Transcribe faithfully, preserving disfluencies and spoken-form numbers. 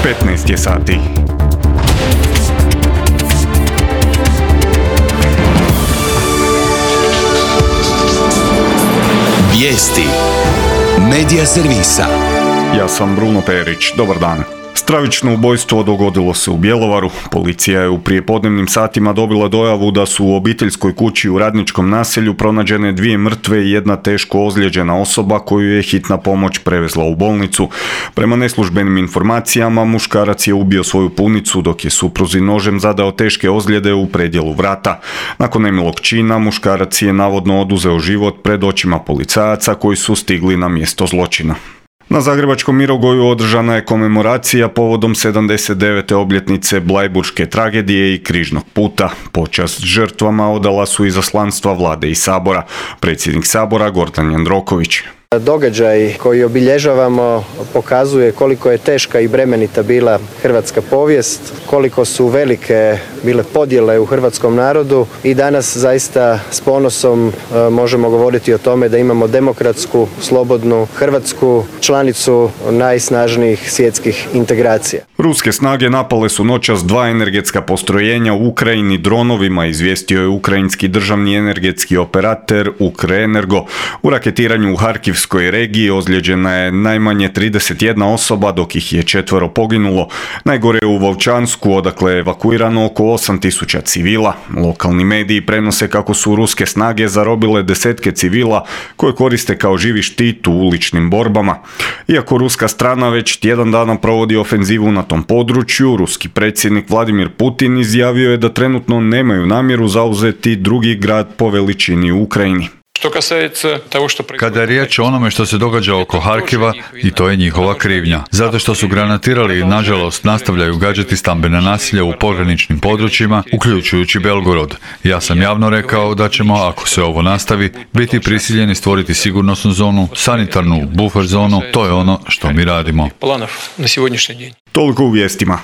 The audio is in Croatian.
petnaest je sati. Vijesti Medija servisa. Ja sam Bruno Perić, dobar dan. Stravično ubojstvo dogodilo se u Bjelovaru. Policija je u prijepodnevnim satima dobila dojavu da su u obiteljskoj kući u Radničkom naselju pronađene dvije mrtve i jedna teško ozlijeđena osoba koju je hitna pomoć prevezla u bolnicu. Prema neslužbenim informacijama, muškarac je ubio svoju punicu dok je supruzi nožem zadao teške ozljede u predjelu vrata. Nakon nemilog čina, muškarac je navodno oduzeo život pred očima policajaca koji su stigli na mjesto zločina. Na zagrebačkom Mirogoju održana je komemoracija povodom sedamdeset devete obljetnice Blajburške tragedije i Križnog puta. Počast žrtvama odala su izaslanstva vlade i sabora. Predsjednik sabora Gordan Jandroković. Događaj koji obilježavamo pokazuje koliko je teška i bremenita bila hrvatska povijest, koliko su velike bile podjele u hrvatskom narodu i danas zaista s ponosom možemo govoriti o tome da imamo demokratsku, slobodnu Hrvatsku, članicu najsnažnijih svjetskih integracija. Ruske snage napale su noćas dva energetska postrojenja u Ukrajini dronovima, izvijestio je ukrajinski državni energetski operator Ukrenergo. U raketiranju u Harkiv u regiji ozlijeđena je najmanje trideset jedna osoba, dok ih je četvero poginulo. Najgore je u Volčansku, odakle je evakuirano oko osam tisuća civila. Lokalni mediji prenose kako su ruske snage zarobile desetke civila koje koriste kao živi štit u uličnim borbama. Iako ruska strana već tjedan dana provodi ofenzivu na tom području, ruski predsjednik Vladimir Putin izjavio je da trenutno nemaju namjeru zauzeti drugi grad po veličini u Ukrajini. Kada je riječ o onome što se događa oko Harkiva, i to je njihova krivnja. Zato što su granatirali i nažalost nastavljaju gađati stambena naselja u pograničnim područjima, uključujući Belgorod. Ja sam javno rekao da ćemo, ako se ovo nastavi, biti prisiljeni stvoriti sigurnosnu zonu, sanitarnu buffer zonu, to je ono što mi radimo. Toliko u vijestima.